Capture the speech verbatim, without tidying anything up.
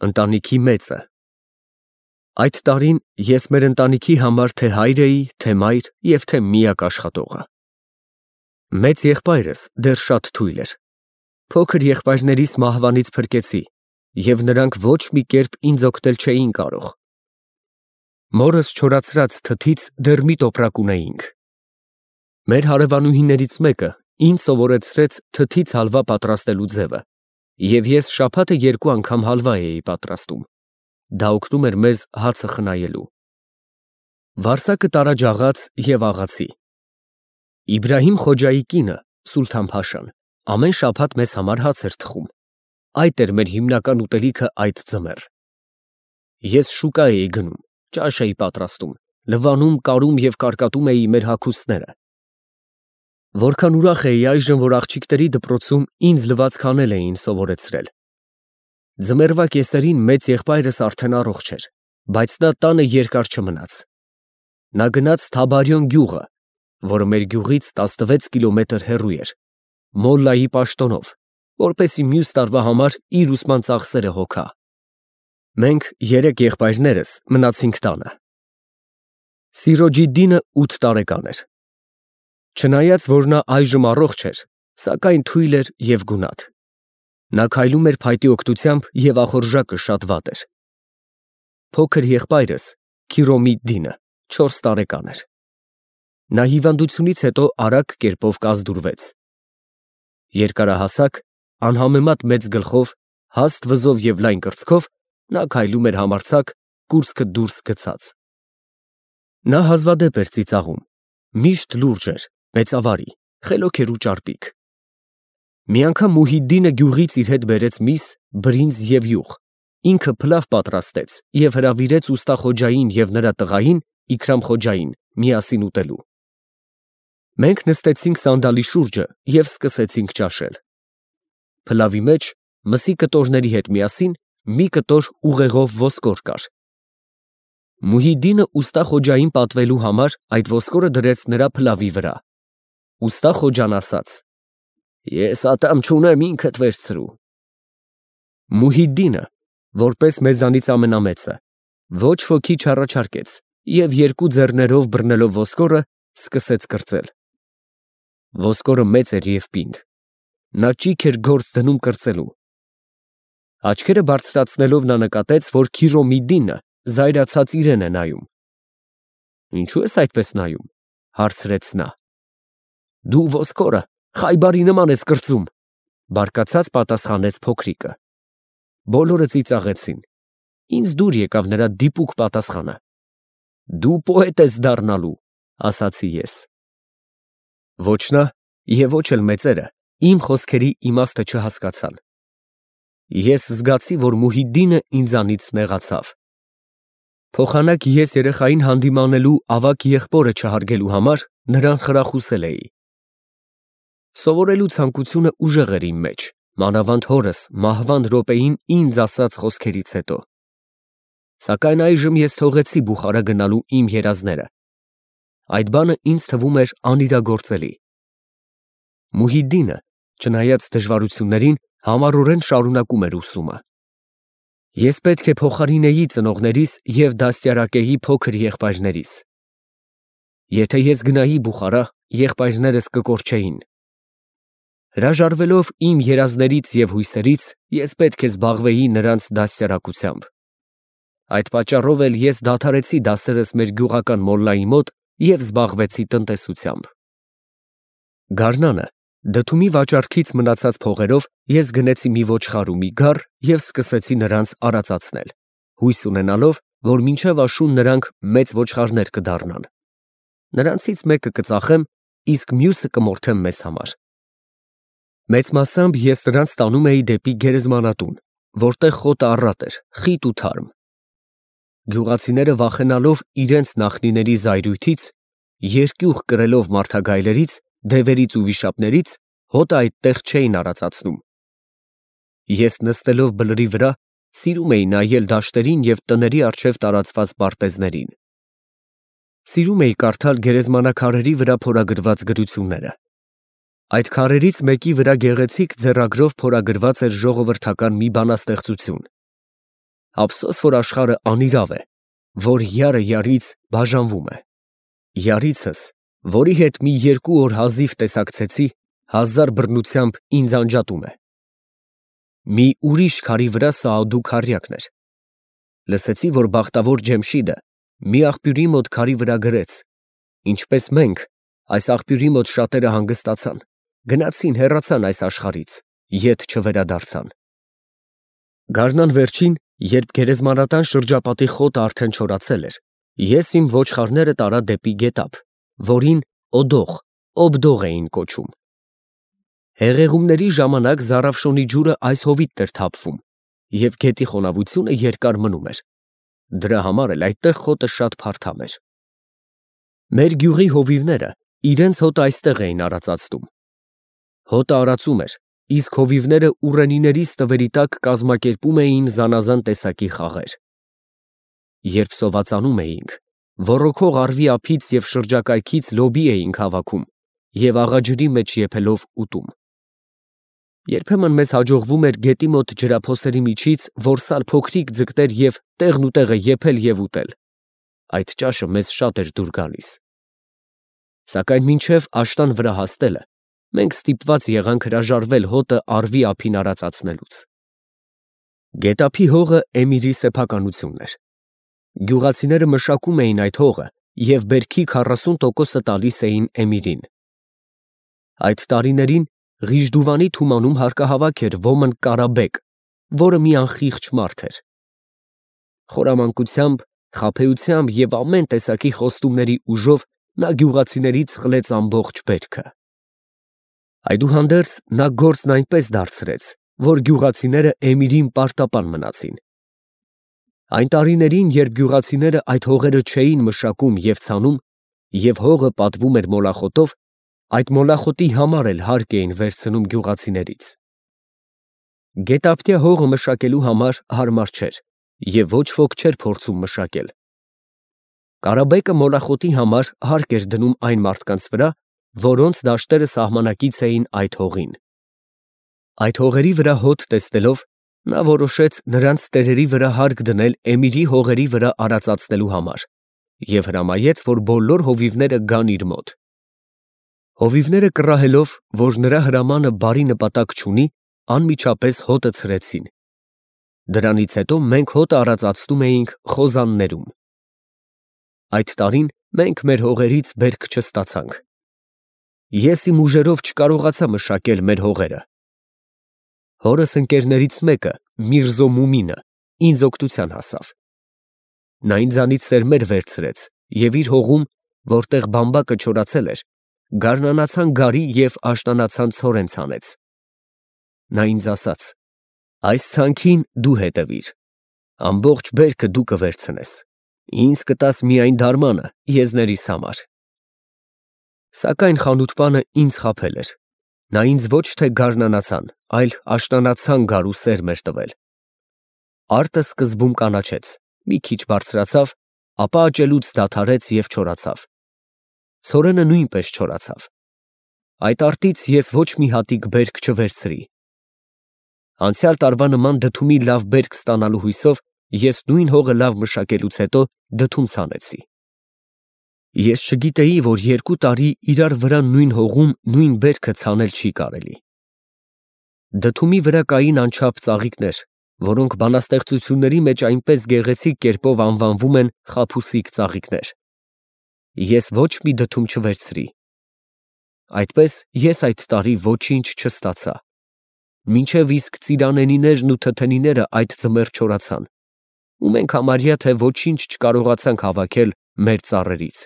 Ընտանիքի մեծը։ Այդ տարին ես մեր ընտանիքի համար թե հայր էի, թե մայր և թե միակ աշխատողը։ Մեծ եղբայրս դեռ շատ թույլ էր։ Փոքր եղբայրներիս մահվանից փրկեցի, և նրանք ոչ մի կերպ ինձ օգնել չէին կարող։ Մորս չորացրած թթից դեռ մի տոպրակ ունեինք։ Մեր հարևանուհիներից մեկը ինձ սովորեցրեց թթից հալվա պատրաստելու ձևը, և ես շաբաթը երկու անգամ հալվա էի պատրաստում, դա օգնում էր մեզ հացը խնայելու։ Վարսակը տարաջաղաց և աղացի։ Իբրահիմ Խոջայի կինը՝ Սուլթան֊փաշան, ամեն շաբաթ մեզ համար հաց էր թխում, այդ էր մեր հիմնական ուտելիքը այդ ձմեռ։ Ես շուկա էի գնում, ճաշ էի պատրաստում, լվանում, կարում և կարկատում էի մեր հագուստները։ Որքան ուրախ էի այժմ, որ աղջիկների դպրոցում ինձ լվացք-անել էին սովորեցրել։ Ձմեռվա կեսերին մեծ եղբայրս արդեն առողջ էր, բայց նա տանը երկար չմնաց։ Նա գնաց Թաբարյոն գյուղը, որը մեր գյուղից տասնվեց կիլոմետր հեռու էր, մոլլայի պաշտոնով, որպեսզի մյուս տարվա համար իր ուսման ծախսերը հոգա։ Մենք երեք եղբայրներս մնացինք տանը։ Սիրոջիդդինը ութ տարեկան էր։ Չնայած, որ նա այժմ առողջ էր, սակայն թույլ էր և գունատ։ Նա քայլում էր փայտի օգնությամբ և ախորժակը շատ վատ էր։ Փոքր եղբայրս՝ Քիրոմիդդինը, չորս տարեկան էր։ Նա հիվանդությունից հետո արագ կերպով կազդուրվեց։ Երկարահասակ, անհամեմատ մեծ գլխով, հաստ վզով և լայն կրծքով, նա քայլում էր համարձակ, կուրծքը դուրս գցած։ Նա հազվադեպ էր ծիծաղում, միշտ լուրջ էր, մեծավարի, խելոք էր ու ճարպիկ։ Մի անգամ Մուհիդդինը գյուղից իր հետ բերեց միս, բրինձ և յուղ, ինքը փլավ պատրաստեց և հրավիրեց ուստա Խոջային և նրա տղային՝ Իքրամ Խոջային, միասին ուտելու։ Մենք նստեցինք սանդալի շուրջը և սկսեցինք ճաշել։ Փլավի մեջ, մսի կտորների հետ միասին, մի կտոր ուղեղով ոսկոր կար։ Մուհիդդինը ուստա Խոջային պատվելու համար այդ ոսկորը դրեց նրա փլավի վրա։ Ուստա Խոջան ասաց. «Ես ատամ չունեմ, ինքդ վերցրու»։ Մուհիդդինը, որպես մեզանից ամենամեծը, ոչ ոքի չառաջարկեց և երկու ձեռներով բռնելով ոսկորը, սկսեց կրծել։ Ոսկորը մեծ էր և պինդ։ Նա ճիգ էր գործ դնում կրծելու։ Աչքերը բարձրացնելով նա նկատեց, որ Քիրոմիդդինը զայրացած իրեն է նայում։ «Ինչո՞ւ ես այդպես նայում», հարցրեց նա։ «Դու ոսկորը խայբարի նման ես կրծում», բարկացած պատասխանեց փոքրիկը։ Բոլորը ծիծաղեցին։ Ինձ դուր եկավ նրա դիպուկ պատասխանը։ «Դու պոետ ես դառնալու», ասացի ես։ Ոչ նա և ոչ էլ մեծերը իմ խոսքերի իմաստը չհասկացան։ Ես զգացի, որ Մուհիդդինը ինձանից նեղացավ։ Փոխանակ ես երեխային հանդիմանելու ավագ եղբորը չհարգելու համար նրան խրախուսել էի։ Սովորելու ցանկությունը ուժեղ էր իմ մեջ, մանավանդ հորս մահվան րոպեին ինձ ասած խոսքերից հետո։ Սակայն այժմ ես թողեցի Բուխարա գնալու իմ երազները։ Այդ բանը ինձ թվում էր անիրագործելի։ Մուհիդդինը, չնայած դժվարություններին, համառորեն շարունակում էր ուսումը։ Ես պետք է փոխարինեի ծնողներիս և դաստիարակեի փոքր եղբայրներիս։ Եթե ես գնայի Բուխարա, եղբայրներս կկորչեին։ Հրաժարվելով իմ երազներից և հույսերից, ես պետք է զբաղվեի նրանց դաստիարակությամբ։ Այդ պատճառով էլ ես դադարեցի դասերս մեր գյուղական մոլլայի մոտ և զբաղվեցի տնտեսությամբ։ Գարնանը, դդումի վաճառքից մնացած փողերով ես գնեցի մի ոչխար ու մի գառ և սկսեցի նրանց արածացնել, հույս ունենալով, որ մինչև աշուն նրանք մեծ ոչխարներ կդառնան։ Նրանցից մեկը կծախեմ, իսկ մյուսը կմորթեմ մեզ համար։ Մեծ մասամբ ես նրանց տանում էի դեպի գերեզմանատուն, որտեղ խոտը առատ էր, խիտ ու թարմ։ Գյուղացիները վախենալով իրենց նախնիների զայրույթից, երկյուղ կրելով մարդագայլերից, դևերից ու վիշապներից, հոտը այդտեղ չէին արածացնում։ Ես նստելով բլրի վրա, սիրում էի նայել դաշտերին և տների առջև տարածված պարտեզներին։ Սիրում էի կարդալ գերեզմանաքարերի վրա փորագրված գրությունները։ Այդ քարերից մեկի վրա գեղեցիկ ձեռագրով փորագրված էր ժողովրդական մի բանաստեղծություն։ ափսոս, որ աշխարհը անիրավ է, որ յարը յարից բաժանվում է։ Յարիցս, որի հետ մի երկու օր հազիվ տեսակցեցի, հազար բռնությամբ ինձ անջատում է։ Մի ուրիշ քարի վրա Սաադու քառյակն էր։ Լսեցի, որ բախտավոր Ջեմշիդը մի աղբյուրի մոտ քարի վրա գրեց. ինչպես մենք, այս աղբյուրի մոտ շատերը հանգստացան, գնացին, հեռացան այս աշխարհից, ետ չվերադարձան։ Գարնան վերջին, երբ գերեզմանատան շրջապատի խոտը արդեն չորացել էր, ես իմ ոչխարները տարա դեպի գետափ, որին Օդող, Օբդող էին կոչում։ Հեղեղումների ժամանակ Զարաֆշոնի ջուրը այս հովիտն էր թափվում, և գետի խոնավությունը երկար մնում էր։ Դրա համար էլ այդտեղ խոտը շատ փարթամ էր։ Մեր գյուղի հովիվները իրենց հոտը այստեղ էին արածածտում։ Հոտը արածում էր, իսկ հովիվները ուռենիների ստվերի տակ կազմակերպում էին զանազան տեսակի խաղեր։ Երբ սովածանում էինք, ոռոգող առվի ափից և շրջակայքից լոբի էինք հավաքում և աղաջրի մեջ եփելով ուտում։ Երբեմն մեզ հաջողվում էր գետի մոտ ջրափոսերի միջից որսալ փոքրիկ ձկներ և տեղն ու տեղը եփել և ուտել։ Այդ ճաշը մեզ շատ էր դուր գալիս։ Սակայն մինչև աշտան վրա հասնելը, մենք ստիպված եղանք հրաժարվել հոտը առվի ափին արածացնելուց։ Գետափի հողը Էմիրի սեփականությունն էր։ Գյուղացիները մշակում էին այդ հողը և բերքի քառասուն տոկոսը տալիս էին Էմիրին։ Այդ տարիներին Ղիժդուվանի թումանում հարկահավաք էր ոմն Կարաբեկ, որը մի անխիղճ մարդ էր։ Խորամանկությամբ, խաբեությամբ և ամեն տեսակի խոստումների ուժով նա գյուղացիներից խլեց ամբողջ բերքը։ Այդուհանդերձ նա գործն այնպես դարձրեց, որ գյուղացիները Էմիրին պարտապան մնացին։ Այն տարիներին, երբ գյուղացիները այդ հողերը չէին մշակում և ցանում, և հողը պատվում էր մոլախոտով, այդ մոլախոտի համար էլ հարկ էին վերցնում գյուղացիներից։ Գետափնյա հողը մշակելու համար հարմար չէր, և ոչ ոք չէր փորձում մշակել։ Կարաբեկը մոլախոտի համար հարկ էր դնում այն մարդկանց վրա, որոնց դաշտերը սահմանակից էին այդ հողին։ Այդ հողերի վրա հոտ տեսնելով, նա որոշեց նրանց տերերի վրա հարկ դնել Էմիրի հողերի վրա արածացնելու համար և հրամայեց, որ բոլոր հովիվները գան իր մոտ։ Հովիվները կռահելով, որ նրա հրամանը բարի նպատակ չունի, անմիջապես հոտը ցրեցին։ Դրանից հետո մենք հոտը արածացնում էինք խոզաններում։ Այդ տարին մենք մեր հողերից բերք չստացանք։ Ես իմ ուժերով չկարողացա մշակել մեր հողերը։ Հորս ընկերներից մեկը, Միրզո Մումինը, ինձ օգնության հասավ։ Նա ինձանից սերմեր վերցրեց և իր հողում, որտեղ բամբակը չորացել էր, գարնանացան գարի և աշնանացան ցորեն ցանեց։ Նա ինձ ասաց. այս ցանքին դու հետևիր, ամբողջ բերքը դու կվերցնես, ինձ կտաս միայն դարմանը եզներիս համար։ Սակայն խանութպանը ինձ խաբել էր, նա ինձ ոչ թե գարնանացան, այլ աշնանացան գար ու սերմ էր տվել։ Արտը սկզբում կանաչեց, մի քիչ բարձրացավ, ապա աճելուց դադարեց և չորացավ։ Ցորենը նույնպես չորացավ։ Այդ արտից ես ոչ մի հատիկ բերք չվերցրի։ Անցյալ տարվա նման դդումի լավ բերք ստանալու հույսով ես նույն հողը լավ մշակելուց հետո դդում ցանեցի։ Ես չգիտեի, որ երկու տարի իրար վրա նույն հողում նույն բերքը ցանել չի կարելի։ Դդումի վրա կային անչափ ծաղիկներ, որոնք բանաստեղծությունների մեջ այնպես գեղեցիկ կերպով անվանվում են խաբուսիկ ծաղիկներ։ Ես ոչ մի դդում չվերցրի։ Այդպես ես այդ տարի ոչինչ չստացա, մինչև իսկ ծիրանենիներն ու թթենիները այդ ձմեռ չորացան, ու մենք համարյա թե ոչինչ չկարողացանք հավաքել մեր ծառերից։